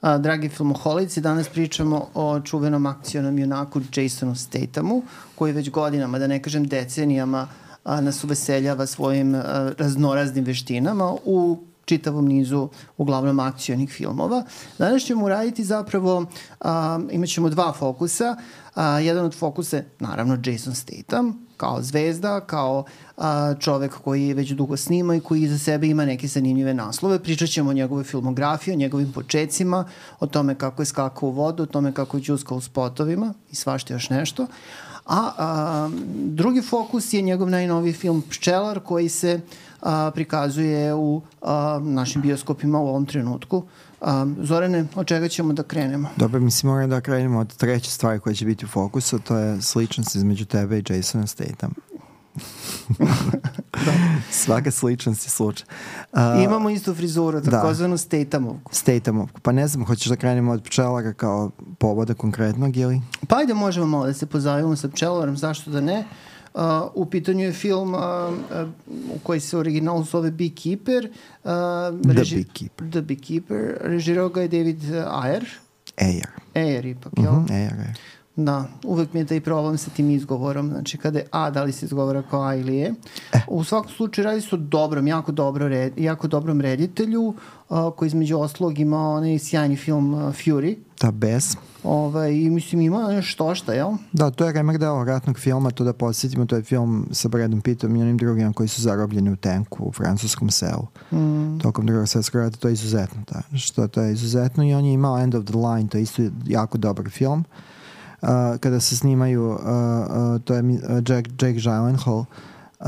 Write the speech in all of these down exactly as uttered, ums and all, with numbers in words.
A, dragi filmoholici, danas pričamo o čuvenom akcionom junaku Jasonu Stathamu, koji već godinama, da ne kažem decenijama, a, nas uveseljava svojim a, raznoraznim veštinama u čitavom nizu uglavnom akcionih filmova. Danas ćemo uraditi zapravo, a, imat ćemo dva fokusa. A, jedan od fokusa je naravno Jason Statham, kao zvezda, kao a, čovek koji već dugo snima i koji iza sebe ima neke zanimljive naslove. Pričat ćemo o njegove filmografiji, o njegovim počecima, o tome kako je skakao u vodu, o tome kako je ćuskao u spotovima i svašta još nešto. A, a drugi fokus je njegov najnoviji film Pčelar, koji se a, prikazuje u a, našim bioskopima u ovom trenutku. A, Zorane, od čega ćemo da krenemo? Dobro, mislim moram da krenemo od treće stvari koja će biti u fokusu, to je sličnost između tebe i Jasona Statham. Svaka sličnost je slučaj. Uh, Imamo istu frizuru, takozvanu Stathamovku. Stathamovku. Pa ne znam, hoćeš da krenemo od Pčelara kao povoda konkretnog ili? Pa ajde, možemo malo da se pozavimo sa Pčelarom, zašto da ne. Uh, u pitanju je film uh, uh, u koji se originalno zove Beekeeper. Uh, The reži... Beekeeper. The Beekeeper. Režirao ga je David Ayer. Ayer. Ayer ipak, jel? Uh-huh, Ayer, Ayer. Da, uvek mi je taj problem sa tim izgovorom. Znači, kada je A, da li se izgovara kao A ili E. Eh. U svakom slučaju radi se o dobrom, jako, dobro red, jako dobrom reditelju, uh, koji između oslog ima onaj sjajni film uh, Fury. Da, bez. Ovaj, i mislim, ima nešto šta, jel? Da, to je remek deo ratnog filma, to da podsjetimo, to je film sa Bradom Pittom i onim drugim koji su zarobljeni u tenku u francuskom selu. Mm. Tokom drugog svjetskog rata, to je izuzetno. Da. Što to je izuzetno i on je imao End of the Line, to je isto jako dobar film. Uh, kada se snimaju, uh, uh, to je uh, Jack, Jake Gyllenhaal uh,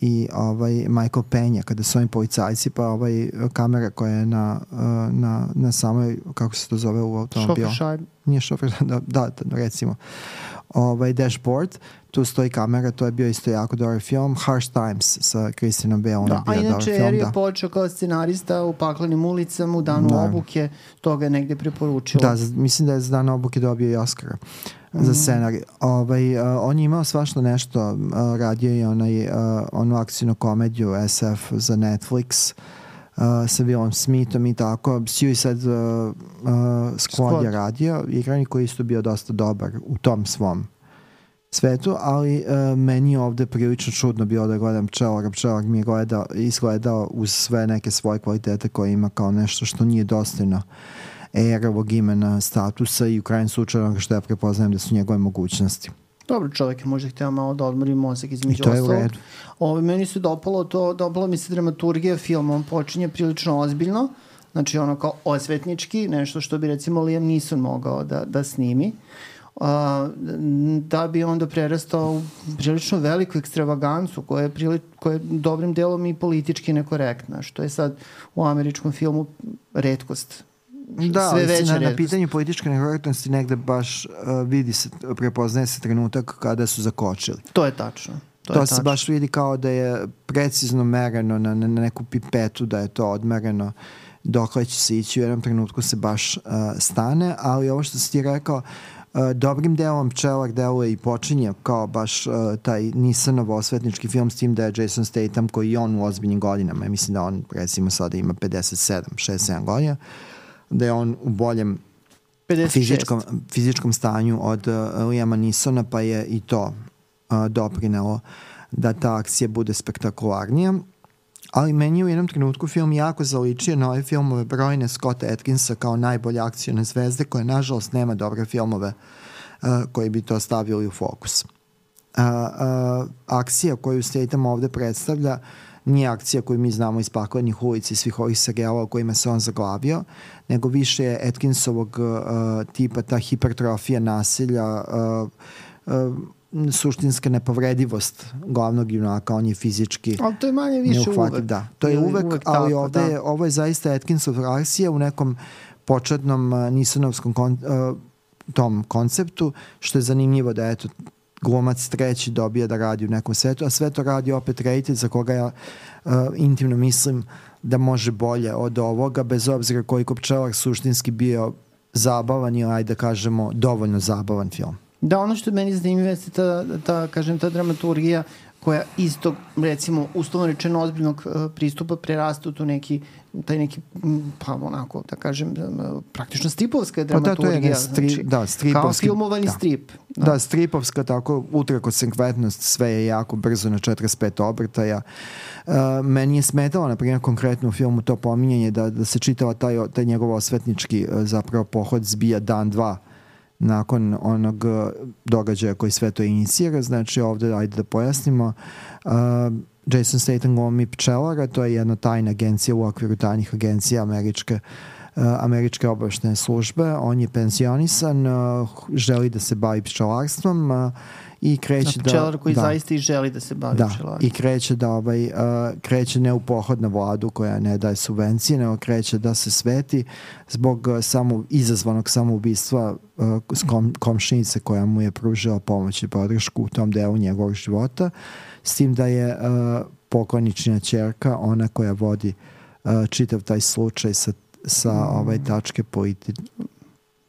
i ovaj Michael Peña, kada su oni policajci, pa ovaj kamera koja je na, uh, na, na samoj, kako se to zove u automobilu? Šofer Nije šofer, da, da, da, recimo. Ovaj dashboard, tu stoji kamera, to je bio isto jako dobar film. Harsh Times sa Christianom Bale, da, bio a inače film, je da. počeo kao scenarista u Paklenim ulicama, u Danu da. obuke, toga je negde preporučilo. Da, mislim da je za Dan obuke dobio i Oscara mm. za scenarij. Ovaj, uh, on je imao svašta nešto, uh, radio je onaj, uh, onu akcijnu komediju S F za Netflix, Uh, sa Willom Smithom i tako. Suicide uh, uh, Squad, Squad je radio, igrani koji isto bio dosta dobar u tom svom svetu, ali uh, meni je ovde prilično čudno bilo da gledam Pčelara. Pčelar mi je gledao, izgledao uz sve neke svoje kvalitete koje ima kao nešto što nije dostojno Ayerovog imena, statusa i u krajnjem slučaju onoga što ja prepoznajem da su njegove mogućnosti. Dobro, čovjek je možda htio malo da odmori mozak između I to je ostalog. u redu. Ovo, meni se dopalo to, dopala mi se dramaturgija filma, on počinje prilično ozbiljno, znači ono kao osvetnički, nešto što bi recimo Liam Neeson mogao da, da snimi, uh, da bi onda prerastao u prilično veliku ekstravagancu koja je, prili, koja je dobrim delom i politički nekorektna, što je sad u američkom filmu retkost. Da, sve veće na, na pitanju političke nekorektnosti negde baš uh, vidi se, prepoznaje se trenutak kada su zakočili. To je tačno. To, to je se tačno. baš vidi kao da je precizno mereno na, na, na neku pipetu, da je to odmereno dokle će se ići, u jednom trenutku se baš uh, stane, ali ovo što si ti rekao, uh, dobrim delom Pčelar deluje i počinje kao baš uh, taj Nissanov osvetnički film, s tim da je Jason Statham koji je on u ozbiljnim godinama, ja mislim da on recimo sada ima pedeset sedam, šezdeset sedam godina, da je on u boljem fizičkom, fizičkom stanju od uh, Liama Neesona, pa je i to uh, doprinelo da ta akcija bude spektakularnija. Ali meni je u jednom trenutku film jako zaličio na ove filmove brojne Scotta Atkinsa kao najbolje akcione zvezde, koje nažalost nema dobre filmove uh, koji bi to stavili u fokus. Uh, uh, akcija koju Statham ovde predstavlja nije akcija koju mi znamo iz Paklenih ulica i svih ovih serijala o kojima se on zaglavio, nego više je Atkinsovog uh, tipa, ta hipertrofija nasilja, uh, uh, suštinska nepovredivost glavnog junaka, on je fizički ali to je manje više uvek. Da, to je uvek, uvek ali tako, ovde, da. Ovo je zaista Atkinsov akcija u nekom početnom uh, Neesonovskom kon, uh, tom konceptu, što je zanimljivo da eto glumac treći dobija da radi u nekom svetu, a sve to radi opet reditelj za koga ja uh, intimno mislim da može bolje od ovoga, bez obzira koliko Pčelar suštinski bio zabavan ili, ajde da kažemo, dovoljno zabavan film. Da, ono što je meni zanimljivo jeste ta, ta, kažem, ta dramaturgija koja isto, recimo, uslovno rečeno ozbiljnog uh, pristupa prerasta u tu neki, taj neki, pa onako, da kažem, praktično stripovska dramaturgija. Pa da, to je stri, znači, da, stripovski. Kao filmovani da. strip. Da. da, stripovska, tako, ultrakonsekventnost, sve je jako brzo na četrdeset pet obrtaja. Uh, meni je smetalo, na primjer, konkretno u filmu to pominjanje da, da se čitava taj, taj njegov osvetnički uh, zapravo pohod zbija dan, dva nakon onog događaja koji sve to inicira. Znači ovde, ajde da pojasnimo, uh, Jason Statham glumi pčelara, to je jedna tajna agencija u okviru tajnih agencija američke, uh, američke obaveštajne službe. On je pensionisan, uh, želi da se bavi pčelarstvom uh, i kreće da... Pčelar koji da, zaista i želi da se bavi da, pčelarstvom. I kreće da ovaj, uh, kreće ne u pohod na vladu koja ne daje subvencije, nego kreće da se sveti zbog uh, samo, izazvanog samoubistva uh, kom, komšinice koja mu je pružila pomoć i podršku u tom delu njegovog života, s tim da je uh, pokojničina ćerka ona koja vodi uh, čitav taj slučaj sa, sa mm. ovaj tačke politi...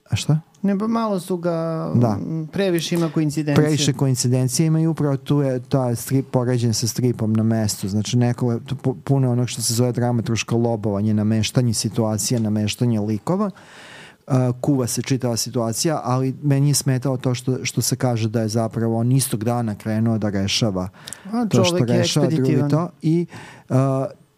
A šta? Ne, pa malo su ga, da. previše ima koincidencije. Previše koincidencije ima i upravo tu je ta strip poređen sa stripom na mestu. Znači neko, puno onog što se zove dramaturško lobovanje, nameštanje situacija, nameštanje likova. Uh, kuva se čitava situacija, ali meni je smetalo to što, što se kaže da je zapravo on istog dana krenuo da rešava A, to što rešava drugi to i uh,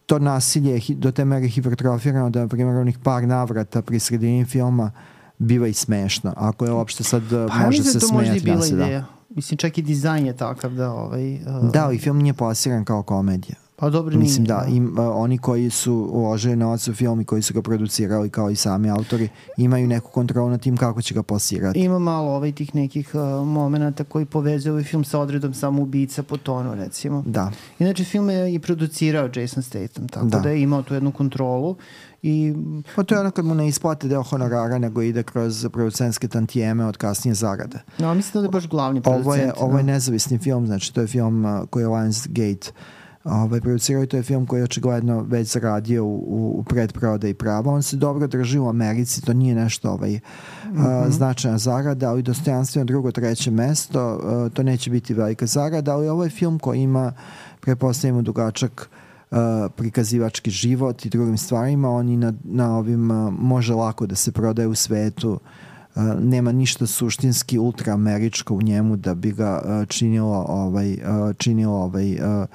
to nasilje je do te mere hipertrofirano da, na primjer, onih par navrata pri sredini filma biva i smešno. Ako je uopšte sad pa, može se smijati. Pa možda i bila naseda. ideja. Mislim, čak i dizajn je takav da... Ovaj, uh... Da, ali film nije plasiran kao komedija. Pa dobro Mislim nije. da, im, uh, oni koji su uložili novac u film i koji su ga producirali kao i sami autori, imaju neku kontrolu na tim kako će ga plasirati. Ima malo ovaj tih nekih uh, momenata koji povezuje ovaj film sa odredom samoubica po tonu, recimo. Da. Inače, film je i producirao Jason Statham, tako da, da je imao tu jednu kontrolu. I... Pa to je ono kad mu ne isplate deo honorara, nego ide kroz producentske tantijeme od kasnije zarade. No, mislim da je baš glavni producent. Ovo je, ovo no. je nezavisni film, znači to je film uh, koji je Lionsgate ovaj, producirao i to je film koji je očigledno već zaradio u, u, u predprodaji prava. On se dobro drži u Americi, to nije nešto ovaj, mm-hmm. uh, značajna zarada, ali dostojanstveno drugo, treće mesto, uh, to neće biti velika zarada, ali ovo je film koji ima, pretpostavljamo, dugačak Uh, prikazivački život i drugim stvarima. On i na, na ovim uh, može lako da se prodaje u svetu. Uh, nema ništa suštinski ultraameričko u njemu da bi ga uh, činilo ovaj, uh, činilo ovaj, uh,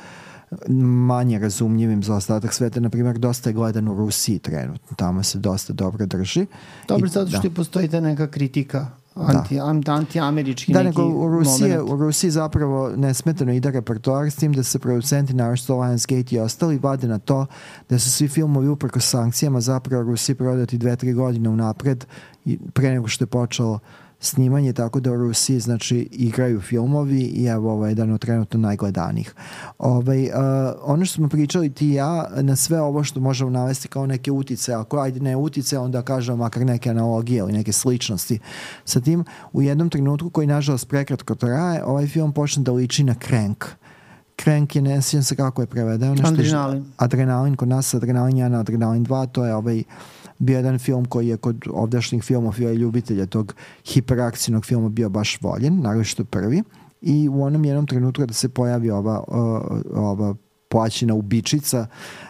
manje razumljivim za ostatak sveta. Naprimjer, dosta je gledan u Rusiji trenutno. Tamo se dosta dobro drži. Dobro, I, zato što da. postoji ta neka kritika Anti, da. anti-američki da, neki nego u Rusiji, moment. U Rusiji zapravo nesmetano ide repertoar s tim da se producenti, naravno Lionsgate i ostali, vade na to da su svi filmovi uprkos sankcijama zapravo u Rusiji prodati dve, tri godine unapred i pre nego što je počelo snimanje, tako da u Rusiji znači igraju filmovi i evo ovo je jedan od trenutno najgledanijih. Ovaj, uh, ono što smo pričali ti i ja na sve ovo što možemo navesti kao neke utice, ako ajde ne utice, onda kažemo makar neke analogije ili neke sličnosti sa tim, u jednom trenutku koji nažalost prekratko traje, ovaj film počne da liči na Crank. Crank je, ne sjećam se kako je prevedeno. Adrenalin. Adrenalin, kod nas Adrenalin jedan, Adrenalin dva, to je ovaj bio jedan film koji je kod ovdašnjih filmofila i ljubitelja tog hiperakcijnog filma bio baš voljen, naravno što prvi. I u onom jednom trenutku da se pojavi ova, ova plaćina ubičica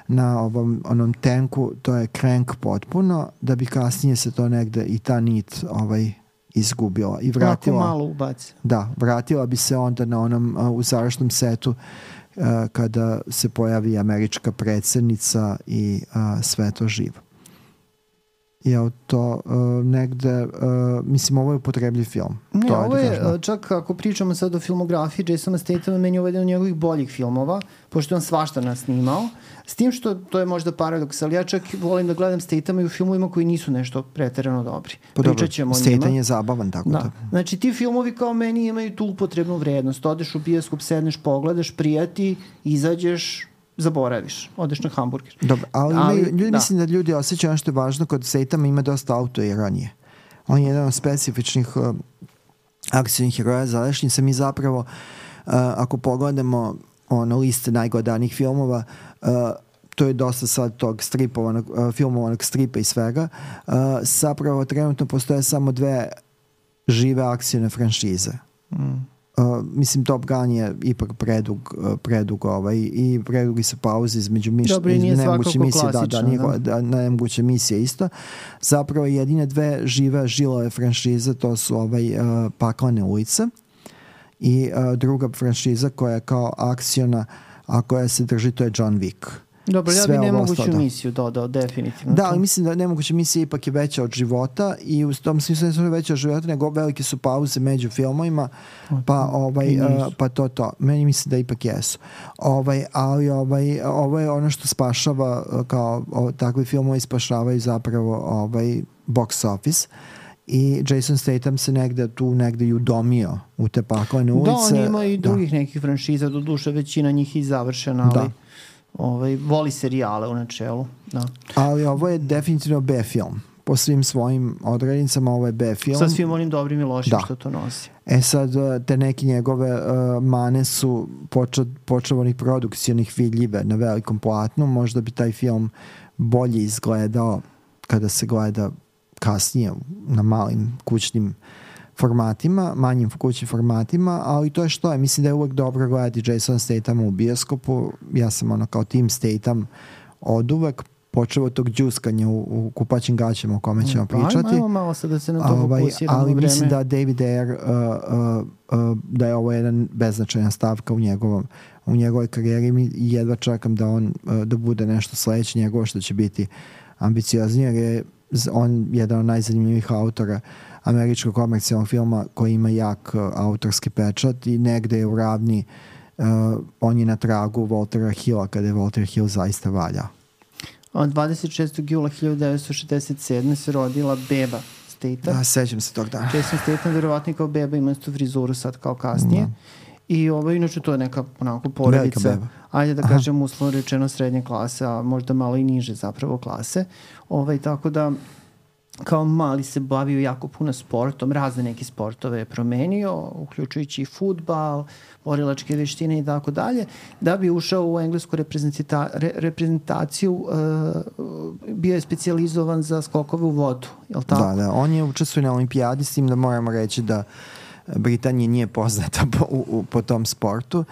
na ovom, onom tenku, to je Crank potpuno, da bi kasnije se to negde i ta nit ovaj, izgubila. I vratila, Lako malo ubaci. Da, vratila bi se onda na onom u završnom setu uh, kada se pojavi američka predsjednica i uh, sve to živo. Je to uh, negde, uh, mislim, ovo je upotrebljiv film. Ne, to ovo je, je, čak ako pričamo sad o filmografiji Jasona Stathama, meni je ovo jedan od njegovih boljih filmova, pošto je on svašta nas snimao, s tim što, to je možda paradoks, ali ja čak volim da gledam Stathama i u filmovima koji nisu nešto preterano dobri. Pa dobro, Statham je zabavan, tako da. da. Znači, ti filmovi kao meni imaju tu upotrebnu vrednost. Odeš u bioskop, sedneš, pogledaš, prijati, izađeš, zaboraviš, odeš na hamburger. Dobro, ali, ali ljudi, da. mislim da ljudi osjećaju ono što je važno, kod Stathama ima dosta autoironije. On je jedan od specifičnih uh, akcijnih heroja Zalešnjica. Mi zapravo, uh, ako pogledamo ono, liste najgledanijih filmova, uh, to je dosta sad tog stripovanog, uh, filmovanog stripa i svega, uh, zapravo trenutno postoje samo dve žive akcijne franšize. Mm. Uh, mislim Top Gun je ipak predug, uh, predug ovaj, i predugi su pauze između miš, Dobro, nije svakako misije, da, da, nije, da. da, nemoguće misije isto. Zapravo jedine dve žive žilove franšize to su ovaj, uh, Paklene ulice i uh, druga franšiza koja je kao akciona, a koja se drži, to je John Wick. Dobro, ja bi nemoguću misiju dodao, definitivno. Da, ali mislim da nemoguća misija ipak je veća od života i u tom smislu ne su veća od života, nego velike su pauze među filmovima, pa, ovaj, uh, pa to to. Meni mislim da ipak jesu. Ovaj, ali ovaj, ovo je ono što spašava, kao o, takvi filmovi spašavaju zapravo ovaj, box office. I Jason Statham se negde tu negde i udomio u te paklene ulice. Da, on ima i drugih da. nekih franšiza, do duše većina njih i završena, ali... Da. Ovaj, voli serijale u načelu. Da. Ali ovo je definitivno B film. Po svim svojim odrednicama ovo je B film. Sa svim onim dobrim i lošim da. što to nosi. E sad, te neke njegove uh, mane su počevanih produkcionih vidljive na velikom platnu. Možda bi taj film bolje izgledao kada se gleda kasnije na malim kućnim formatima, manjim kućnim formatima, ali to je što je. Mislim da je uvek dobro gledati Jason Statham u bioskopu. Ja sam ono kao Team Statham od uvek, počeo od tog džuskanja u, u kupaćim gaćama o kome ćemo pričati. Ajmo malo sad da se na to ovaj, fokusiramo ali vreme. Mislim da David Ayer uh, uh, uh, da je ovo jedan beznačajna stavka u njegovom u njegovoj karijeri i jedva čekam da on uh, da bude nešto sledeće njegovo što će biti ambicioznije, jer je on jedan od najzanimljivih autora američkog komercijalnog filma koji ima jak uh, autorski pečat i negde je u ravni uh, on je na tragu Waltera Hilla kada je Walter Hill zaista valja. dvadeset šestog jula hiljadu devetsto šezdeset sedme se rodila beba Statham. Da, sećam se tog dana. Jason Statham verovatno kao beba ima istu frizuru sad kao kasnije. Da. I ovo, inače to je neka onako porodica, ajde da kažem uslovno rečeno srednje klase, a možda malo i niže zapravo klase. Ovaj, tako da kao mali se bavio jako puno sportom, razne neke sportove je promenio, uključujući i fudbal, borilačke veštine i tako dalje, da bi ušao u englesku reprezentita, re, reprezentaciju, uh, bio je specijalizovan za skokove u vodu, je li tako? Da, da, on je učestvuje na olimpijadi, s tim da moramo reći da Britanija nije poznata po, u, po tom sportu.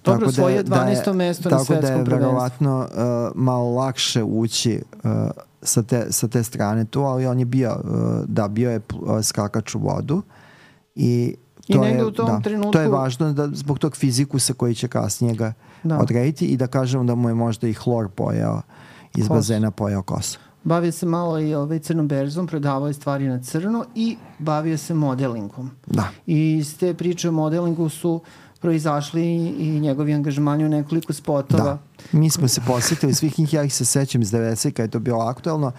Dobro, tako svoje dvanaesto mesto na svetskom prvenstvu. Tako da je verovatno uh, malo lakše ući uh, sa, te, sa te strane tu, ali on je bio, uh, da, bio je uh, skakač u vodu i to, I je, u tom da, trenutku... to je važno da, zbog tog fizikusa koji će kasnije ga da. odrediti i da kažemo da mu je možda i hlor pojao iz Kos. bazena pojao kosu. Bavio se malo i ovaj crnom berzom, prodavao je stvari na crno i bavio se modelingom. Da. I iz te priče o modelingu su proizašli i njegovi angažmani u nekoliko spotova. Da. Mi smo se posjetili svih njih, ja ih se sećam iz devedesetih kada je to bilo aktuelno.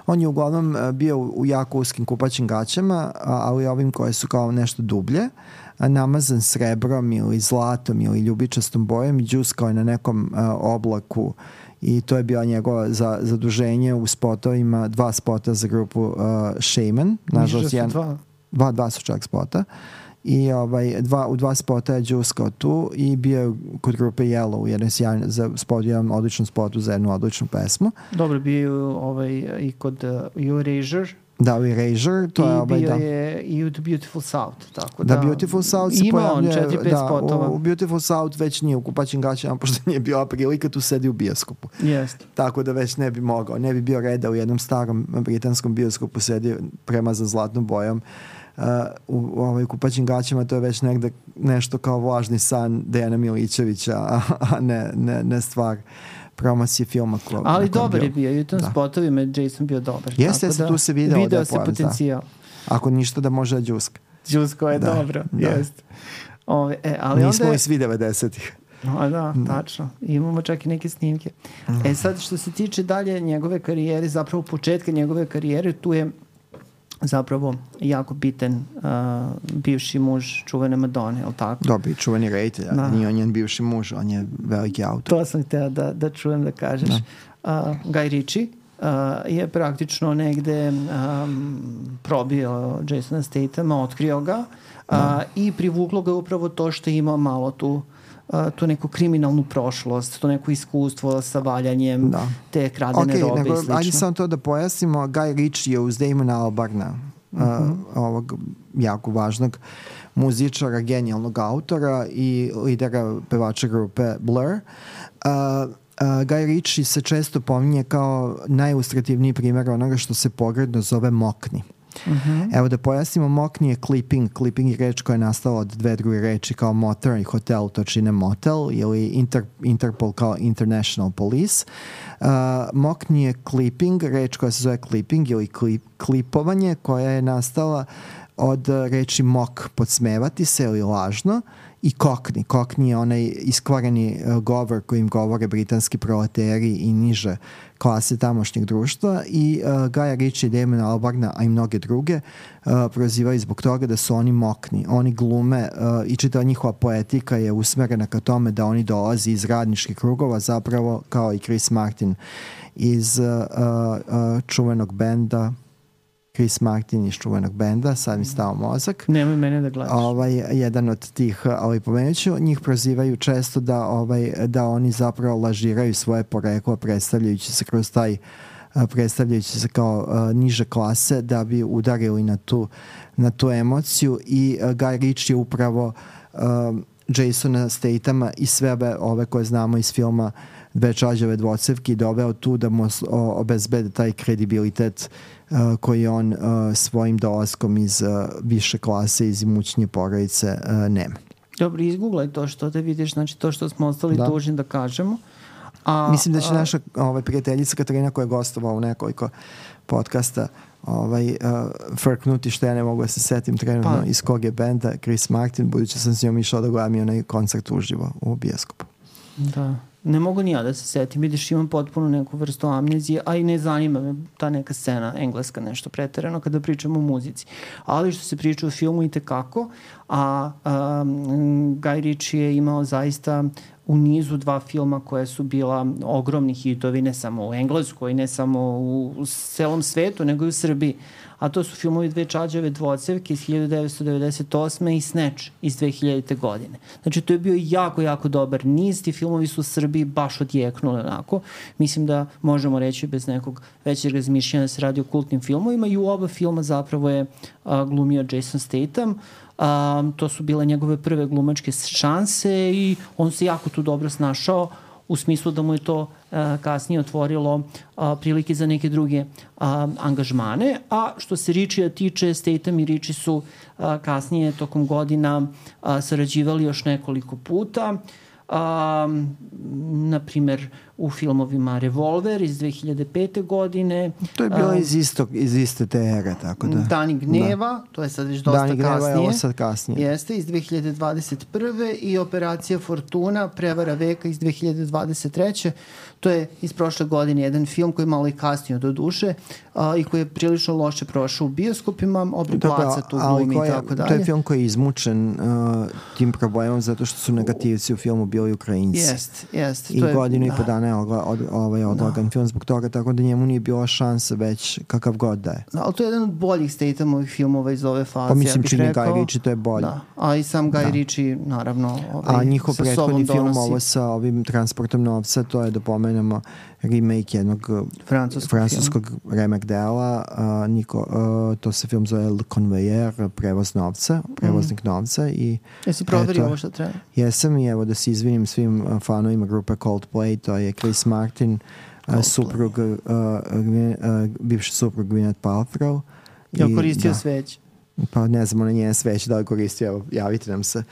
On je uglavnom bio u jako uskim kupaćim gaćama, ali ovim koje su kao nešto dublje, namazan srebrom ili zlatom ili ljubičastom bojem i džuskao je na nekom uh, oblaku i to je bila njegova za, zaduženje u spotovima, dva spota za grupu uh, Shaman. Nažalost, jedan, dva. dva. Dva su čak spota. I ovaj, dva, u dva spota je džuskao tu i bio je kod grupe Yellow u jedan sjajan, za spot, jedan odličan spotu za jednu odličnu pesmu. Dobro, bio ovaj, i kod uh, Erasure. Da, u Erasure. To I je, ovaj, bio da. je i u The Beautiful South. Tako da, da, Beautiful South se ima on četiri pet da, spotova. U, u Beautiful South već nije u kupaćim gaćama, pošto nije bila prilika, tu sedi u bioskopu. Jeste. Tako da već ne bi mogao. Ne bi bio reda u jednom starom britanskom bioskopu sedi premazan zlatnom bojom. Uh, u, u ovaj kupaćim gaćama to je već negde nešto kao vlažni san Dejana Milićevića, a, a ne, ne, ne stvar promocije filma. Ko, ali dobar je bio i u tom da. spotovima je Jason bio dobar. Jeste, jeste, da, tu se video, video da se potencijal. Da. Ako ništa da može da džuska. Džusko je da, dobro, da. jeste. Ove, e, ali nismo onda i svi devedesetih. No, da, da, tačno. Imamo čak i neke snimke. Mm. E sad, što se tiče dalje njegove karijere, zapravo početka njegove karijere, tu je zapravo jako bitan uh, bivši muž čuvene Madone, je li tako? Dobri, čuveni reditelj, da. Nije on njen bivši muž, on je veliki autor. To sam htela da, da čujem da kažeš. Da. Uh, Guy Ritchie uh, je praktično negde um, probio Jasona Stathama, otkrio ga uh, i privuklo ga upravo to što je imao malo tu Uh, tu neku kriminalnu prošlost, to neko iskustvo sa valjanjem da. te kradene okay, robe nego, i slično. Ajde samo to da pojasnimo, Guy Ritchie je uz Damona Albarna mm-hmm. uh, ovog jako važnog muzičara, genijalnog autora i lidera pevača grupe Blur. Uh, uh, Guy Ritchie se često pominje kao najilustrativniji primjer onoga što se pogredno zove mokni. Mm-hmm. Evo da pojasnimo, mokni je clipping. Clipping je reč koja je nastala od dve druge reči kao motor i hotel, to čine motel, ili Inter, Interpol kao International Police. Uh, mokni je clipping, reč koja se zove clipping ili klip, klipovanje, koja je nastala od reči mock, podsmevati se ili lažno, i kokni. Kokni je onaj iskvareni uh, govor kojim govore britanski proleteri i niže klase tamošnjeg društva, i uh, Guy Ritchie, Damona Albarna, a i mnoge druge uh, prozivaju zbog toga da su oni mokni. Oni glume uh, i čitava njihova poetika je usmerena ka tome da oni dolazi iz radničkih krugova, zapravo kao i Chris Martin iz uh, uh, čuvenog benda Chris Martin iz čuvenog benda, sad mi stao mozak. Nemoj mene da gledaš. Ovaj, jedan od tih, ovaj, pomenuću, njih prozivaju često da, ovaj, da oni zapravo lažiraju svoje poreklo, predstavljajući se kroz taj, predstavljajući se kao uh, niže klase, da bi udarili na tu, na tu emociju, i uh, Guy Ritchie upravo uh, Jasona Statama i sve ove, ove koje znamo iz filma Dve čađave dvocevke doveo tu da mu obezbede taj kredibilitet uh, koji on uh, svojim dolaskom iz uh, više klase, iz imućnije porodice uh, nema. Dobro, izguglaj to što da vidiš, znači to što smo ostali da. dužni da kažemo. A, Mislim da će a... naša ovaj, prijateljica Katarina, koja je gostovala u nekoliko podcasta, ovaj, uh, frknuti, što ja ne mogu da se setim trenutno pa. iz kog je benda Chris Martin, budući sam s njom išao da gledam i onaj koncert uživo u bioskopu. Da. Ne mogu ni ja da se setim, vidiš, imam potpuno neku vrstu amnezije, a i ne zanima me ta neka scena engleska nešto preterano kada pričamo o muzici. Ali što se priča o filmu i tekako, a, a Guy Ritchie je imao zaista u nizu dva filma koje su bila ogromni hitovi, ne samo u Engleskoj, ne samo u, u celom svetu, nego i u Srbiji. A to su filmovi Dve čađave dvocevke iz hiljadu devetsto devedeset osme i Snatch iz dve hiljadite godine. Znači, to je bio jako, jako dobar niz. Ti filmovi su u Srbiji baš odjeknuli onako. Mislim da možemo reći bez nekog većeg razmišljanja da se radi o kultnim filmovima, i u oba filma zapravo je a, glumio Jason Statham. Um, to su bile njegove prve glumačke šanse i on se jako tu dobro snašao, u smislu da mu je to uh, kasnije otvorilo uh, prilike za neke druge uh, angažmane. A što se Ritchie tiče, Statham i Ritchie su uh, kasnije tokom godina uh, sarađivali još nekoliko puta. Um, na primer u filmovima Revolver iz dve hiljade pete godine. To je bilo um, iz, istog, iz iste te ere, tako da. Dani gneva, da. To je sad već dosta Dani kasnije. Dani gneva je ovo sad kasnije. Jeste, iz dve hiljade dvadeset prve i Operacija Fortuna, prevara veka iz dve hiljade dvadeset treće To je iz prošle godine jedan film koji je malo i kasnio do duše a, i koji je prilično loše prošao u bioskopima, Obri Placa tu glumi i tako dalje. To je film koji je izmučen uh, tim problemom zato što su negativci u filmu bili Ukrajinci. Jest, jest. I to je, godinu da. i po dana je odla, od, ovaj odlagan da. film zbog toga, tako da njemu nije bila šansa već kakav god da je. Da, ali to je jedan od boljih Stathamovih filmova iz ove faze. Pa mislim, ja čini rekao, Guy Ritchie, to je bolje. Da. A i sam Guy da. Ritchie, naravno, ovaj, a njihov prethodni film, donosi. ovo sa ovim transportom novca, to je da pomenemo remake jednog francuskog, francuskog remek dela. Uh, Niko, uh, to se film zove Le Convoyeur, prevoz novca, prevoznik mm. novca. I jesi proverio ovo što treba? Jesam, i evo da se izvinim svim uh, fanovima grupe Coldplay, to je Chris Martin, uh, suprug, uh, uh, bivši suprug Gwyneth Paltrow. Ja koristio da. sveć. Pa ne znamo na njene sveće da li koristio, evo, javite nam se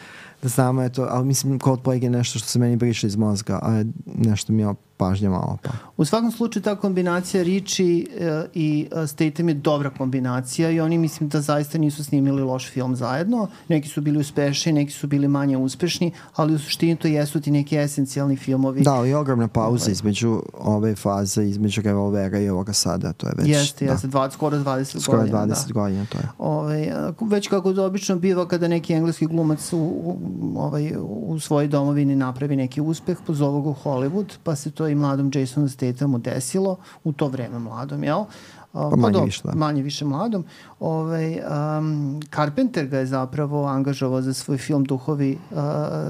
da znamo je to, ali mislim Coldplay je nešto što se meni briše iz mozga, a nešto mi je pažnja malo. Pa. U svakom slučaju ta kombinacija Ritchie uh, i uh, Statham je dobra kombinacija i oni mislim da zaista nisu snimili loš film zajedno. Neki su bili uspešni, neki su bili manje uspešni, ali u suštini to jesu ti neki esencijalni filmovi. Da, ali ogromna pauza ovaj. između ove faze, između Revolvera i ovoga sada, to je već... Jeste, jeste, da. skoro dvadeset skoro godina. dvadeset da. godina, to je. Ovaj, već kako to obično biva kada neki engleski glumac u, u, ovaj, u svojoj domovini napravi neki uspeh, pozovu ga u Hollywood, pa se to i mladom Jasonu Stathamu desilo, u to vreme mladom, jel? Pa manje do, više, da. Manje više mladom. Ovaj, um, Carpenter ga je zapravo angažovao za svoj film Duhovi uh,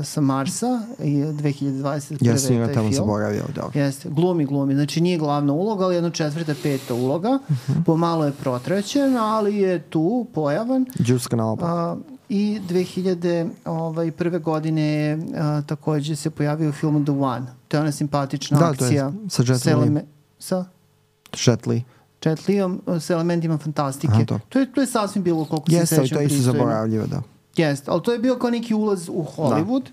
sa Marsa i dve hiljade dvadeset prve. Ja sam ga taj tamo film. zaboravio, dobro. Jeste, glumi, glumi. Znači nije glavna uloga, ali jedna četvrta, peta uloga. Uh-huh. Pomalo je protraćen, ali je tu pojavan. Džuska na opak. Uh, I dve hiljade prve godine je uh, takođe se pojavio u filmu The One. To je ona simpatična da, akcija. Da, sa Jet Li. Sa? Jet Li. Jet Li sa elementima fantastike. Aha, to. To, je, to je sasvim bilo koliko se Jeste, sećam. Jeste, to je isto zaboravljivo, da. Jeste, ali to je bio kao neki ulaz u Hollywood da.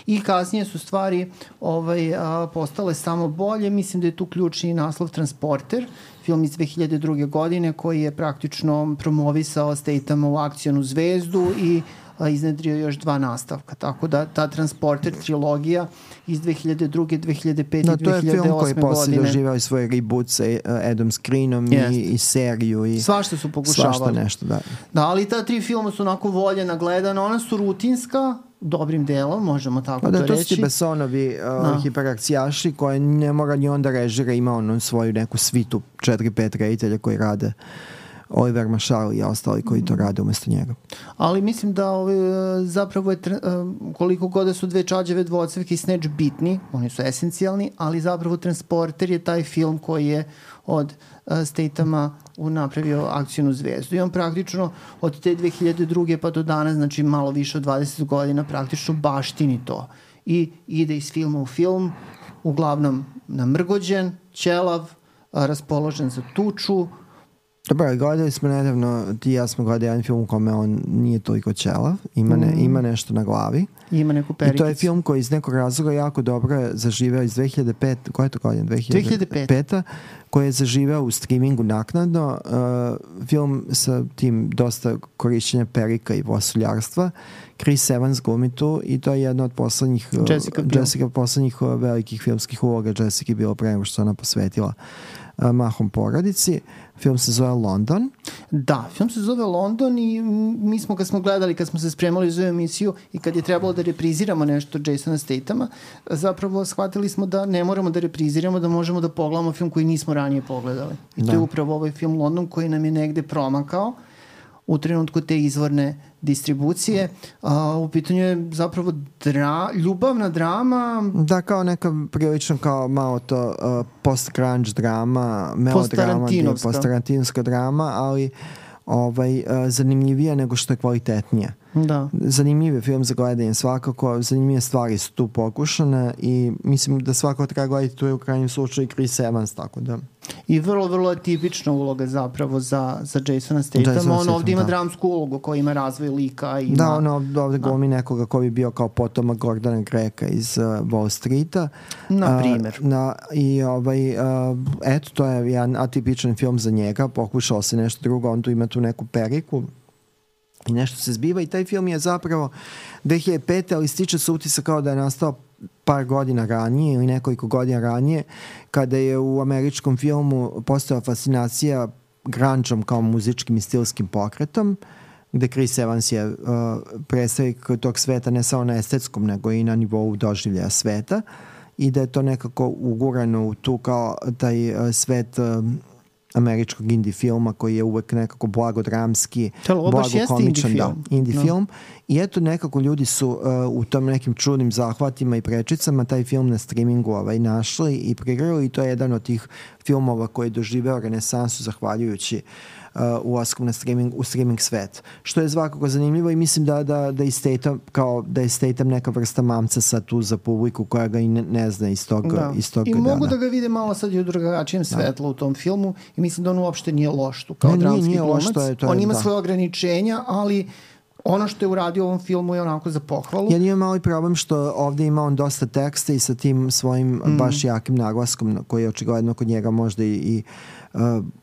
I kasnije su stvari ovaj, a, postale samo bolje. Mislim da je tu ključni naslov Transporter, film iz dve hiljade druge. godine koji je praktično promovisao Statama u akcionu zvezdu i a, iznedrio još dva nastavka. Tako da ta Transporter trilogija iz dve hiljade druge, dve hiljade pete i dve hiljade osme godine. To je film koji je posle doživao i svoje reboot sa Adam Screenom i, i seriju. I svašta su pokušavali. Svašta nešto, da. Da, ali ta tri filma su onako voljena, gledana. Ona su rutinska, dobrim delom, možemo tako pa da, to to reći. To su ti Bessonovi uh, hiperakcijaši koje ne mora ni onda režira, ima ono svoju neku svitu četiri pet reditelja koji rade. Oliver Marshall i ostali koji to rade umesto njega. Ali mislim da ovaj, zapravo je, koliko god da su dve čađave dvocevke i Snatch bitni, oni su esencijalni, ali zapravo Transporter je taj film koji je od uh, Statama napravio akcijnu zvezdu. I on praktično od te dve hiljade druge pa do danas, znači malo više od dvadeset godina, praktično baštini to. I ide iz filma u film, uglavnom namrgođen, ćelav, raspoložen za tuču. Dobro, gledali smo nedavno, ti i ja smo gledali jedan film u kome on nije toliko ćelav, ima, ne, ima nešto na glavi. I ima neku perikicu. I to je film koji iz nekog razloga jako dobro je zaživeo iz dve hiljade pete. Koja je to godina? dve hiljade pete. Koji je zaživeo u streamingu naknadno. Uh, film sa tim dosta korišćenja perika i vosuljarstva. Chris Evans glumi tu i to je jedna od poslednjih Jessica, uh, Jessica poslednjih uh, velikih filmskih uloga. Jessica je bilo pre nego što ona posvetila uh, mahom porodici. Film se zove London. Da, film se zove London i mi smo kad smo gledali, kad smo se spremali za emisiju i kad je trebalo da repriziramo nešto Jasona Statama, zapravo shvatili smo da ne moramo da repriziramo, da možemo da pogledamo film koji nismo ranije pogledali. I to da. je upravo ovaj film London koji nam je negde promakao u trenutku te izvorne distribucije. A, u pitanju je zapravo dra, ljubavna drama. Da, kao neka prilično kao malo to uh, post-grunge drama, melodrama, post-tarantinovska drama, ali ovaj, uh, zanimljivija nego što je kvalitetnija. Da. Zanimljiv je film za gledanje svakako, zanimljive stvari su tu pokušane i mislim da svako treba gledati, tu je u krajnjem slučaju Chris Evans, tako da. I vrlo, vrlo tipična uloga zapravo za, za Jasona Statama. On ovdje ima da. dramsku ulogu koja ima razvoj lika. Ima, da, on ovdje glumi nekoga koji bi bio kao potomak Gordona Greka iz uh, Wall Streeta. Na primjer. Uh, na, I ovaj, uh, eto, to je jedan atipičan film za njega. Pokušao se nešto drugo, on tu ima tu neku periku i nešto se zbiva i taj film je zapravo dve hiljade pete. ali stiče se utisak kao da je nastao par godina ranije ili nekoliko godina ranije kada je u američkom filmu postojala fascinacija grungeom kao muzičkim i stilskim pokretom gde Chris Evans je uh, predstavnik tog sveta ne samo na estetskom nego i na nivou doživljaja sveta i da je to nekako ugurano u tu kao taj uh, svet uh, američkog indie filma koji je uvek nekako blagodramski, blagokomičan, da, indie no. film. I eto nekako ljudi su uh, u tom nekim čudnim zahvatima i prečicama taj film na streamingu ovaj, našli i prigrali i to je jedan od tih filmova koji je doživeo renesansu zahvaljujući uh, ulaskom na streaming, u streaming svet. Što je svakako zanimljivo i mislim da, da, da, Statham, kao, da je Statham neka vrsta mamca sad tu za publiku koja ga i ne, ne zna iz tog, da. iz tog I dana. mogu da ga vide malo sad i u drugačijem svetlu u tom filmu i mislim da on uopšte nije loš tu kao ne, dramski nije, nije glumac. Loš, to je, to je, on ima da. svoje ograničenja, ali ono što je uradio u ovom filmu je onako za pohvalu. Ja imam mali problem što ovdje ima on dosta teksta i sa tim svojim mm. baš jakim naglaskom koji je očigledno kod njega možda i, i uh,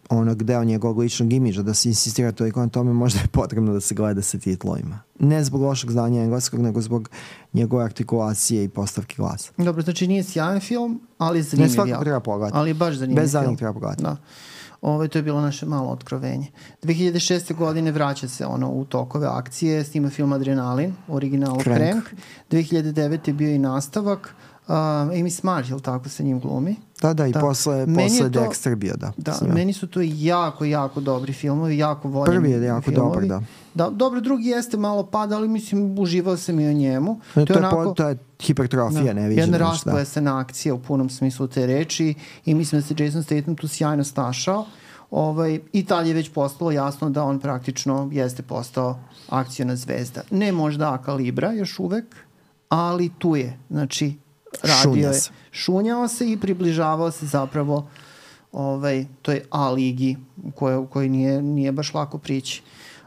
onog deo njegovog ličnog imidža da se insistira toliko na tome možda je potrebno da se gleda sa titlovima. Ne zbog lošeg znanja engleskog, nego zbog njegove artikulacije i postavke glasa. Dobro, znači nije sjajan film, ali je zanimljiv. Ne svakako treba pogledati. Ali je baš zanimljiv Bez film. Bez zadnjeg treba pogledati. Da. Ovo, to je bilo naše malo otkrovenje. dve hiljade šeste. godine vraća se ono u tokove akcije, snima film Adrenalin, originalu Crank. Crank. dve hiljade devete. je bio i nastavak. Amy Smart, ili tako sa njim glumi. Da, da, i da. posle, posle to, Dexter bio, da. Da, meni su to jako, jako dobri filmovi, jako voljeni Prvi je jako filmovi. dobar, da. Da, dobro, drugi jeste malo pada, ali mislim, uživao sam i o njemu. No, to, je onako, to je hipertrofija, da, ne viđeno. Jedna rasplesena akcija u punom smislu te reči i mislim da se Jason Statham tu sjajno snašao. Ovaj, i tad je već postalo jasno da on praktično jeste postao akciona zvezda. Ne možda A kalibra još uvek, ali tu je. Znači, radio je, šunjao se i približavao se zapravo ovaj, toj A ligi u kojoj, u kojoj nije, nije baš lako prići.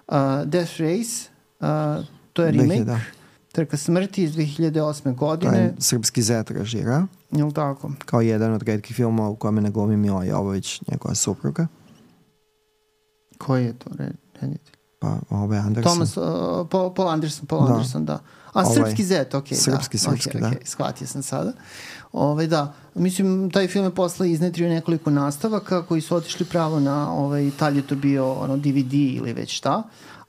Uh, Death Race, uh, to je remake, da. Trka smrti iz dve hiljade osme godine. To je srpski zet režira. Jel tako? Kao jedan od retkih filmova u kome ne glumi Mila Jovović, njegova supruga. Koji je to reditelj? Pa, ovaj Anderson. Thomas, uh, Paul, Paul Anderson, Paul da. Anderson, da. A ovaj, srpski zet, ok, srpski, da. Srpski, okay, da. Okay, shvatio sam sada. Ovaj, da, mislim, taj film je posle iznetrio nekoliko nastavaka koji su otišli pravo na, ovaj, tad je to bio ono, D V D ili već šta,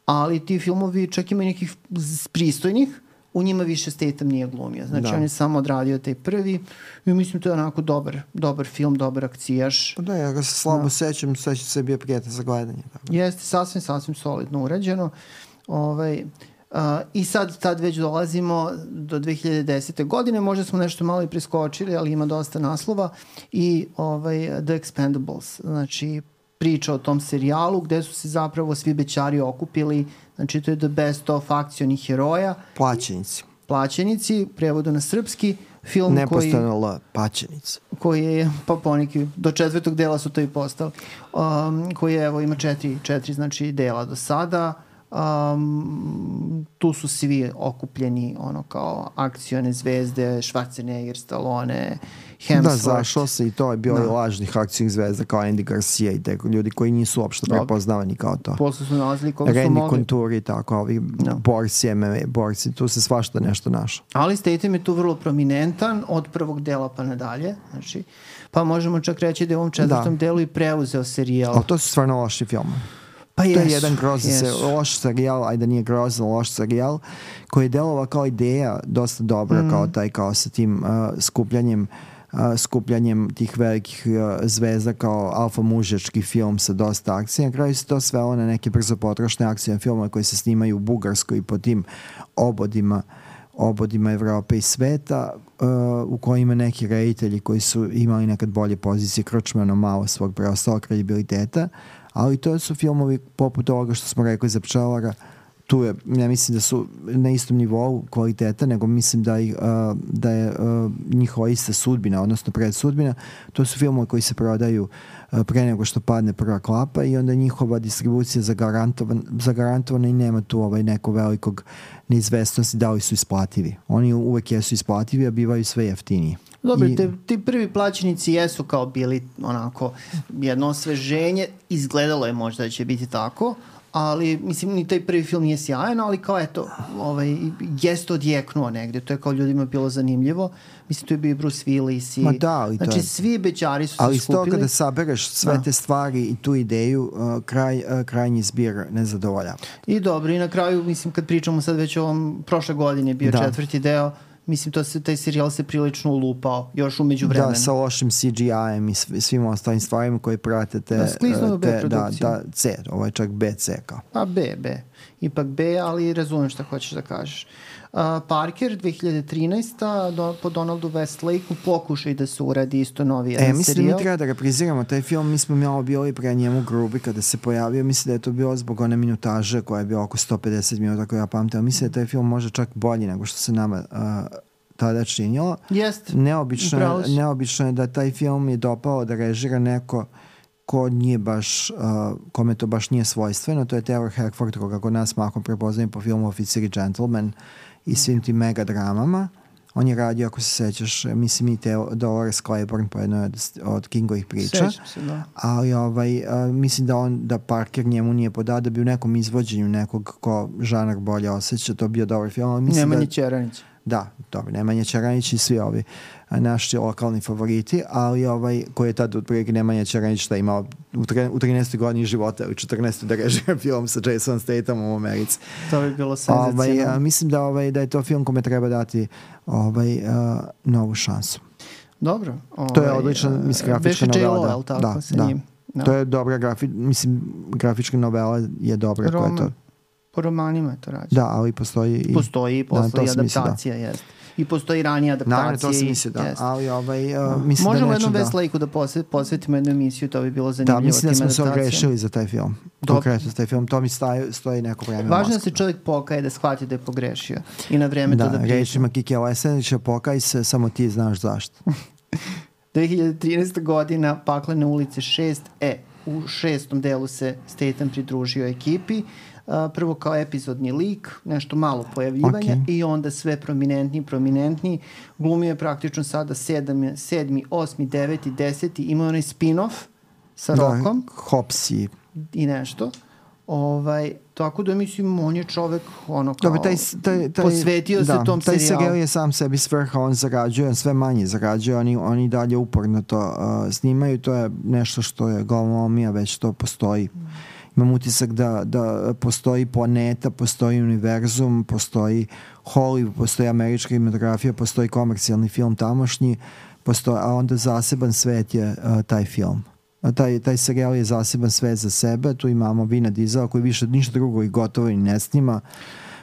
ali ti filmovi čak imaju nekih pristojnih, u njima više Statham nije glumio. Znači, da. On je samo odradio taj prvi i mislim, to je onako dobar, dobar film, dobar akcijaš. Da, ja ga se slabo da. sećam, sećam se bio prijatan za gledanje. Tako. Jeste, sasvim, sasvim solidno urađeno. Ovaj, uh, I sad, tad već dolazimo do dve hiljade desete. godine, možda smo nešto malo i preskočili, ali ima dosta naslova i ovaj, The Expendables, znači priča o tom serijalu gde su se zapravo svi bećari okupili, znači to je the best of akcionih heroja. Plaćenici. Plaćenici, prevodu na srpski, film Nepostano koji... L, plaćenici. Koji je, pa poneki, do četvrtog dela su to i postali, um, koji je, evo, ima četiri, četiri znači, dela do sada. Um, tu su svi okupljeni ono kao akcione zvezde, Schwarzenegger, Stallone, Hemsworth. Da, zašao se i to je bio da. I lažnih akcijnih zvezda kao Andy Garcia i te ljudi koji nisu uopšte prepoznavani kao to. Posle su nalazili koga su Randy mogli. Konturi, tako, ovi no. borci, M M A borci, tu se svašta nešto našao. Ali Statham je tu vrlo prominentan od prvog dela pa nadalje, znači, pa možemo čak reći da je u ovom četvrtom da. delu i preuzeo serijal. A to su stvarno loši filmovi. Pa to jesu, je jedan grozan se, loš serijal, ajde nije grozan, loš serijal, koji je delovao kao ideja dosta dobra, mm. kao taj, kao sa tim uh, skupljanjem uh, skupljanjem tih velikih uh, zvezda kao alfa mužački film sa dosta akcije. Na kraju se to svelo na neke brzo potrošne akcije filmove koji se snimaju u Bugarskoj i po tim obodima obodima Evrope i sveta, uh, u kojima neki reditelji koji su imali nekad bolje pozicije kročmano malo svog preostalog kredibiliteta, ali to su filmovi poput ovoga što smo rekli za Pčelara. Tu je, ja mislim da su na istom nivou kvaliteta, nego mislim da, i, uh, da je uh, njihova ista sudbina, odnosno predsudbina. To su filmovi koji se prodaju uh, pre nego što padne prva klapa i onda njihova distribucija zagarantovan, zagarantovana i nema tu ovaj neko velikog neizvestnosti da li su isplativi. Oni uvek jesu isplativi, a bivaju sve jeftiniji. Dobro, I, te, ti prvi plaćenici jesu kao bili onako jedno osveženje, izgledalo je možda da će biti tako, ali mislim ni taj prvi film nije sjajan, ali kao eto, ovaj, jeste odjeknuo negde, to je kao ljudima bilo zanimljivo. Mislim, tu je bio Bruce Willis i... Ma da, ali znači, to je... svi bećari su ali se skupili. Ali isto kada sabereš sve da. te stvari i tu ideju, uh, kraj, uh, krajnji zbir ne zadovoljava. I dobro, i na kraju, mislim, kad pričamo sad već o ovom, prošle godine je bio da. četvrti deo, mislim, to se, taj serijal se prilično ulupao još umeđu vremenu. Da, sa lošim C G I-em i svim ostalim stvarima koji prate te... Da, skliznu te, B produkciju. Da, da, C, ovo je čak B C kao. Pa B, B. Ipak B, ali razumem šta hoćeš da kažeš. Uh, Parker, dve hiljade trinaesta do, po Donaldu Westlakeu pokušaj da se uradi isto novi jedan serijal. E, mislim da mi treba da repriziramo taj film, mi smo malo bili pre njemu grubi kada se pojavio, mislim da je to bilo zbog one minutaže koja je bila oko sto pedeset minuta koja ja pamtim, ali mislim da je taj film možda čak bolji nego što se nama uh, tada činilo. Jest, neobično, neobično je da taj film je dopao da režira neko ko nije baš, uh, kome to baš nije svojstveno, to je Taylor Hackford, koga kod nas mahom prepoznajem po filmu Oficir i Gentleman i svim tim mega dramama. On je radio, ako se sećaš, mislim i te Dolores Claiborne po jednoj od, od Kingovih priča. Sećam se, da. Ali ovaj, uh, mislim da on, da Parker njemu nije podao da bi u nekom izvođenju nekog ko žanar bolje osjeća, to bio dobar film. Ali mislim Nema da, ni Čeranić. da, dobro, Nemanja Čaranić i svi ovi naši lokalni favoriti, ali ovaj, koji je tad otprilike Nemanja Čaranić šta je imao u, tre, u trinaestoj godini života, u četrnaestoj da režira film sa Jason Stathamom u Americi. To bi bilo senzacionalno. Ovaj, mislim da, ovaj, da je to film kome treba dati ovaj, uh, novu šansu. Dobro. Ovaj, to je odlična, mislim, grafička novela. J Lo, tako, da, sa da. njim. Da. To je dobra grafi, mislim, grafička novela je dobra. Roman. Koja je to. Po romanima je to rađeno. Da, ali postoji i... Postoji, postoji da, adaptacija, jest. I postoji ranija adaptacija. Naravno, to se misli, da. Jest. Ali ovaj, uh, mislim možemo da jednom da... West Lake-u da posvetimo jednu emisiju, to bi bilo zanimljivo. Da, mislim da smo se adaptacijama. ogrešili za taj film. Konkretno za taj film. To mi stoji, stoji neko vreme. Važno da se čovjek pokaje, da shvati da je pogrešio. I na vreme da, to da priča. Da, rečima Kike Lesenića, pokaj se, samo ti znaš zašto. dve hiljade trinaesta godina, Paklene ulice šest. E, u šestom delu se Statham pridružio ekipi. Uh, prvo kao epizodni lik, nešto malo pojavljivanja okay. i onda sve prominentni, prominentni. Glumio je praktično sada sedam, sedmi, osmi, deveti, deseti. Imao onaj spin-off sa da, Rockom. Hopsi. I nešto. Ovaj, tako da mislim, on je čovek ono kao Dobre, taj, taj, taj, posvetio da, se tom taj serijalu. Taj serijal je sam sebi svrha, on zarađuje, on sve manje zarađuje, oni, oni dalje uporno to uh, snimaju, to je nešto što je glavnomija, već to postoji. Mm. Imam utisak da, da postoji planeta, postoji univerzum, postoji Hollywood, postoji američka kinematografija, postoji komercijalni film tamošnji, postoji, a onda zaseban svet je uh, taj film. A taj, taj serijal je zaseban svet za sebe, tu imamo Vina Diesela koji više ništa drugo i gotovo i ne snima.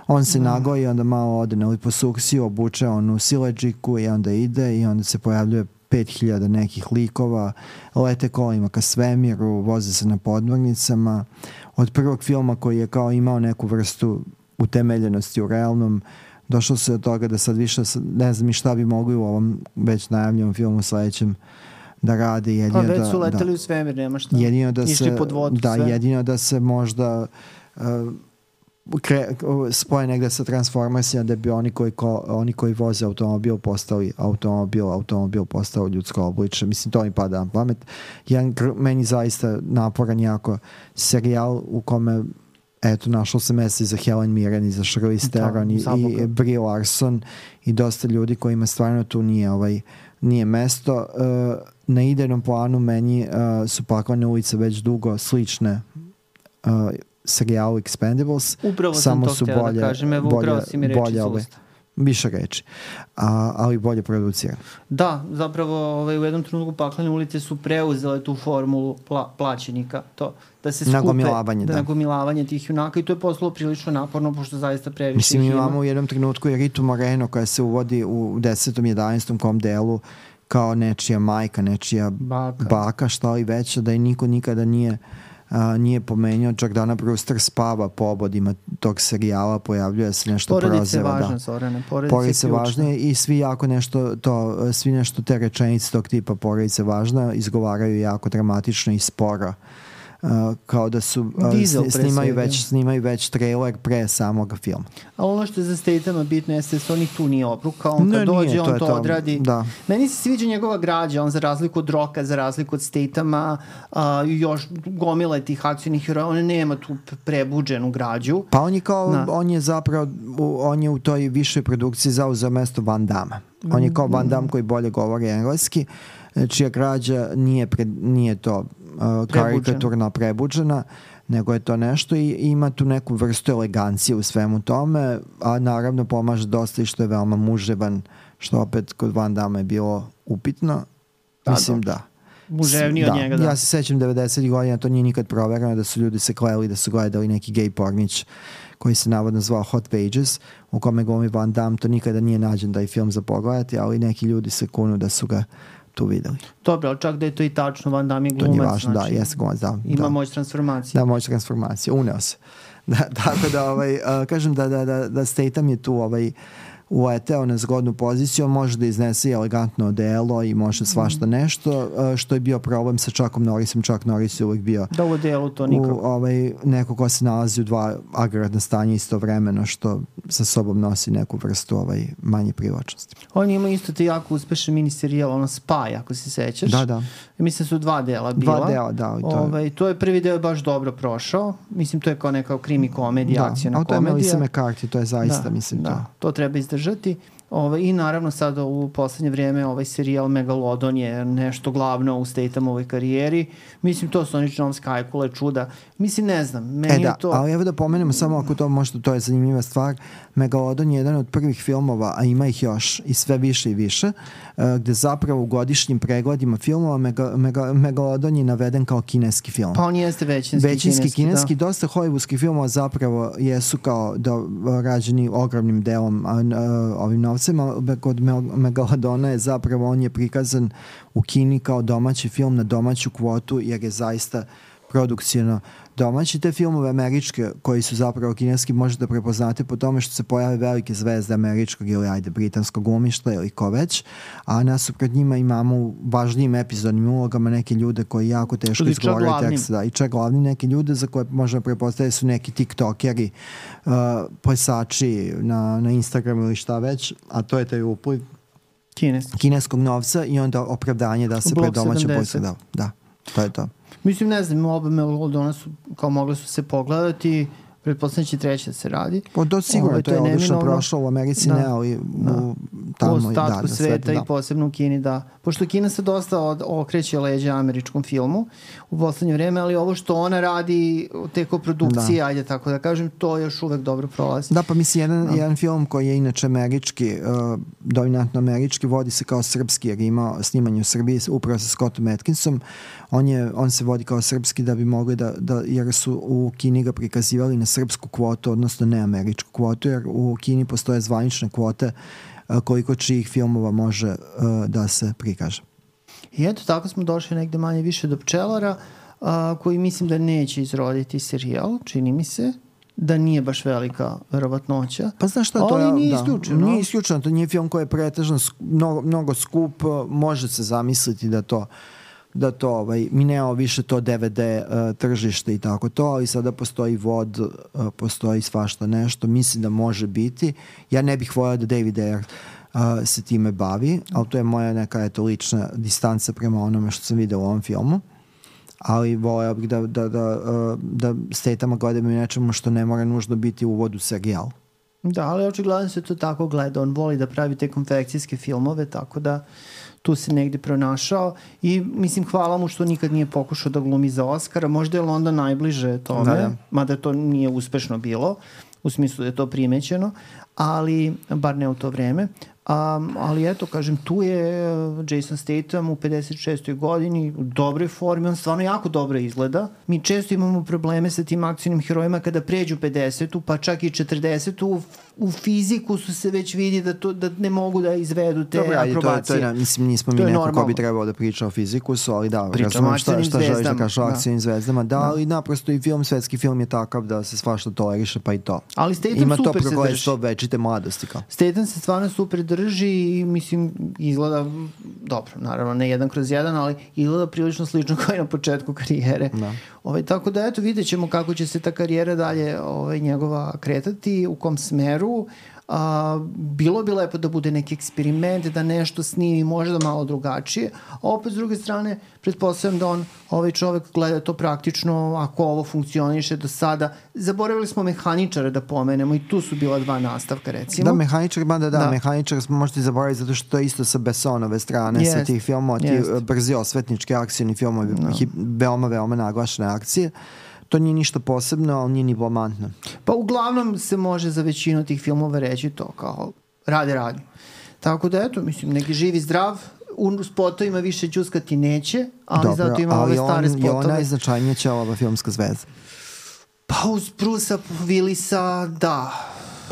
On se mm. nagoji, onda malo ode na liposuksiju, obuče onu sileđiku i onda ide i onda se pojavljuje pet hiljada nekih likova, lete kolima ka svemiru, voze se na podmornicama. Od prvog filma koji je kao imao neku vrstu utemeljenosti u realnom, došlo se od toga da sad više, ne znam i šta bi mogli u ovom već najavljenom filmu sledećem da radi. Jedino pa već da, su leteli da, u svemir, nema šta. Jedino da Išli se, pod vodu da, sve. jedino da se možda uh, Kre, spoje negde sa Transformersima da bi oni koji, ko, oni koji voze automobil postali automobil, automobil postao ljudsko obliče. Mislim, to mi pada na pamet. Jedan meni zaista naporan jako serijal u kome eto, našlo se mesta i za Helen Mirren i za Charlize Theron i, i Brie Larson i dosta ljudi kojima stvarno tu nije, ovaj, nije mesto. Uh, na idejnom planu meni uh, su Paklene ulice već dugo slične uh, serijalu Expendables. Upravo samo sam to htjela da kažem, evo upravo si mi reči iz usta. Više reči, a, ali bolje producirano. Da, zapravo ovaj, u jednom trenutku Paklene ulice su preuzele tu formulu pla, plaćenika, to da se skupe, nagomilavanje, da, da. nagomilavanje tih junaka i to je poslalo prilično naporno, pošto zaista previše Mislim, ima. imamo u jednom trenutku i Ritu Moreno koja se uvodi u desetom, jedanaestom kom delu kao nečija majka, nečija baka, baka šta li veća, da je niko nikada nije Uh, nije pomenio, Jordana Brewster spava po obodima tog serijala, pojavljuje se nešto prozeva. Porodice je važna, Zorane, porodice je važne i svi jako nešto to, svi nešto te rečenice tog tipa porodice važna izgovaraju jako dramatično i sporo. Uh, kao da su uh, snimaju, već, snimaju već trailer pre samog filma. Ali ono što je za Stathama bitno jeste da on ih tu nije obrukao, on kad ne, dođe, nije, on to, to odradi. Da. Meni se sviđa njegova građa, on za razliku od Rocka, za razliku od Stathama, uh, još gomila tih akcijnih heroja, on nema tu prebuđenu građu. Pa on je kao, da. on je zapravo, on je u toj višoj produkciji zauzeo mesto Van Damme. On je kao Van Damme koji bolje govori engleski, čija građa nije, pred, nije to Uh, karikaturno prebuđena, nego je to nešto i ima tu neku vrstu elegancije u svemu tome, a naravno pomaže dosta i što je veoma muževan, što opet kod Van Damme je bilo upitno. Da, Mislim da. da. Muževniji od njega, da. Ja se sećam devedesetih godina, to nije nikad proverano, da su ljudi se kleli da su gledali neki gej pornić koji se navodno zvao Hot Pages, u kome glumi Van Damme, to nikada nije nađen da je film za pogledati, ali neki ljudi se kunu da su ga tu videli. Dobro, ali čak da je to i tačno, Van Damme je glumac. To nije važno, znači, da, jeste glumac, da. Ima da. moć transformacije. Da, moć transformacije, uneo se. Da, tako da, ovaj, uh, kažem da, da, da, da Statham je tu ovaj, uleteo na zgodnu poziciju, on može da iznese i elegantno delo i može svašta nešto, uh, što je bio problem sa Chuckom Norrisom. Chuck Norris je uvijek bio da u delu to nikako. U, ovaj, neko ko se nalazi u dva agregatna stanja istovremeno, što sa sobom nosi neku vrstu ovaj, manje privlačnosti. On ima isto te jako uspešan miniserijal, ono Spy, ako se sećaš. Da, da. Mislim su dva dela bila. Dva dela, da. To, ovaj, to je prvi deo baš dobro prošao. Mislim, to je kao neka krimi komedija, da, akcijna komedija. Da, komedija. To je Melissa McCarthy, to je zaista, da, mislim, da, to. To treba izdržati. Ove, I naravno sad u poslednje vreme ovaj serijal Megalodon je nešto glavno u Stathamovoj karijeri. Mislim, to su oni John Skykule, čuda. Mislim, ne znam, meni e, da, je to... ali evo da pomenemo samo ako to možda, to je zanimljiva stvar. Megalodon je jedan od prvih filmova, a ima ih još i sve više i više, gde zapravo u godišnjim pregledima filmova Mega, Mega, Megalodon je naveden kao kineski film. Pa on jeste većinski, većinski kineski. kineski da. Dosta hollywoodskih filmova zapravo jesu kao da, rađeni ogromnim delom a, a, ovim novcem, a kod Megalodona je zapravo, on je prikazan u Kini kao domaći film na domaću kvotu, jer je zaista produkcijno domaći. Te filmove američke koji su zapravo kineski možete prepoznati po tome što se pojave velike zvezde američkog ili ajde britanskog glumišta ili ko već, a nasuprot njima imamo u važnijim epizodnim ulogama neke ljude koji jako teško izgovaraju tekst, da, i čak glavni neke ljude za koje možemo prepostaviti su neki tiktokeri, uh, plesači na, na Instagramu ili šta već, a to je taj upliv Kineski. kineskog novca i onda opravdanje da se pred domaćom da, da, to je to. Mislim, ne znam, oba Megalodona su, kao mogle su se pogledati, pretpostavljam će treća da se radi. Po to sigurno, Ove, to je, to je odlično prošlo u Americi, da, ne, ali da. u, tamo, u ostatku da, da, sveta da. i posebno u Kini, da. Pošto Kina se dosta od, okreće leđa američkom filmu u poslednje vreme, ali ovo što ona radi te koprodukcije, da. ajde tako da kažem, to još uvek dobro prolazi. Da, pa mislim, jedan, da. jedan film koji je inače američki, uh, dominantno američki, vodi se kao srpski, jer ima snimanje u Srbiji upravo sa Scottom Atkinsom. On, je, on se vodi kao srpski da bi mogli da, da, jer su u Kini ga prikazivali na srpsku kvotu, odnosno ne američku kvotu, jer u Kini postoje zvanične kvote a, koliko čijih filmova može a, da se prikaže. I eto, tako smo došli negde manje više do Pčelara, a, koji mislim da neće izroditi serijal, čini mi se, da nije baš velika verovatnoća. Pa znaš šta, to je... nije da, isključeno. Nije isključeno, to nije film koji je pretežno mnogo, mnogo skup, može se zamisliti da to da to, ovaj, mi nemamo više to D V D uh, tržište i tako to, ali sada postoji vod, uh, postoji svašta nešto, mislim da može biti. Ja ne bih volio da David Ayer uh, se time bavi, ali to je moja neka eto lična distanca prema onome što sam vidio u ovom filmu, ali volio bih da, da, da, uh, da Statama gledamo i nečemu što ne mora nužno biti uvod u serijal. Da, ali očigledno se to tako gleda, on voli da pravi te konfekcijske filmove, tako da tu se negde pronašao i mislim hvala mu što nikad nije pokušao da glumi za Oscara, možda je London najbliže tome, da, da. Mada to nije uspešno bilo, u smislu da je to primećeno, ali bar ne u to vreme. Um, ali eto, kažem, tu je Jason Statham u pedeset šestoj godini u dobroj formi, on stvarno jako dobro izgleda. Mi često imamo probleme sa tim akcijnim herojima kada pređu pedesetu, pa čak i četrdesetu, u, u fiziku su se već vidi da, to, da ne mogu da izvedu te Dobre, akrobacije. To je, to je, mislim, nismo mi neko normalno. Ko bi trebao da priča o fizikusu, ali da, razumem šta, šta želiš da kažeš o akcijnim da. zvezdama. Da, da, ali naprosto i film, svetski film je takav da se svašta toleriše, pa i to. Ali Statham Ima super to se drži. to večite mladosti kao. Statham se stvarno super drži i mislim izgleda dobro, naravno ne jedan kroz jedan, ali izgleda prilično slično kao i na početku karijere. Da. Ovaj, tako da eto vidjet ćemo kako će se ta karijera dalje ovaj, njegova kretati, u kom smeru. A, bilo bi lepo da bude neki eksperiment, da nešto snimi možda malo drugačije, a opet s druge strane pretpostavljam da on, ovaj čovek gleda to praktično, ako ovo funkcioniše do sada. Zaboravili smo Mehaničara da pomenemo i tu su bila dva nastavka recimo. Da, Mehaničar, da, da, da. Mehaničar smo možete zaboraviti zato što to je isto sa Bessonove strane, yes. sa tih filmova, ti yes. brzi osvetnički akcijni filmovi, no. veoma, veoma naglašene akcije. To nije ništa posebno, ali nije ni blamantno. Pa uglavnom se može za većinu tih filmova reći to kao rade radnju. Tako da eto, mislim, neki živi zdrav, u spotovima više džuskati neće, ali Dobro, zato ima ove stare spotove. Ali on je najznačajnija ćelava filmska zvezda. Pa uz Brusa Willisa, da.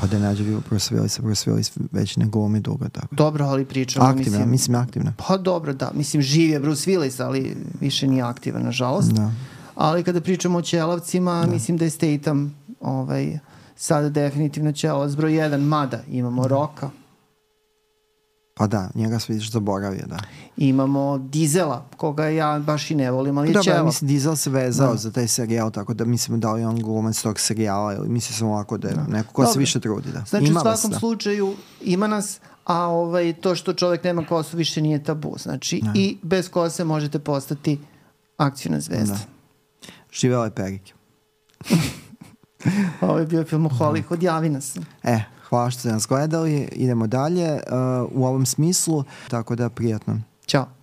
Pa da nađe Bruce Willisa, Bruce Willis već ne glumi dugo tako. Dobro, ali pričamo, aktivna, mislim... mislim aktivna. Pa dobro, da. Mislim, živ je Bruce Willis, ali više nije aktivan, nažalost. Da. Ali kada pričamo o ćelavcima, da. mislim da je Statham ovaj, sada definitivno ćelavac broj jedan, mada imamo Rocka. Pa da, njega se vidiš zaboravio, da. Imamo Diesela, koga ja baš i ne volim, ali je Dobar, ćelav. Mislim, Diesel se vezao da. za taj serijal, tako da mislim da li on glumac tog serijala, ili mislim sam ovako da je da. neko ko Dobre. se više trudi. Da. Znači ima u svakom vas, slučaju ima nas, a ovaj, to što čovjek nema kosu više nije tabu. Znači da. i bez kose možete postati akcijna zvezda. Da. Živela je Perike. Ovo je bio film u Hollywood, javi nas. E, Hvala što ste nas gledali, idemo dalje uh, u ovom smislu, tako da prijatno. Ćao.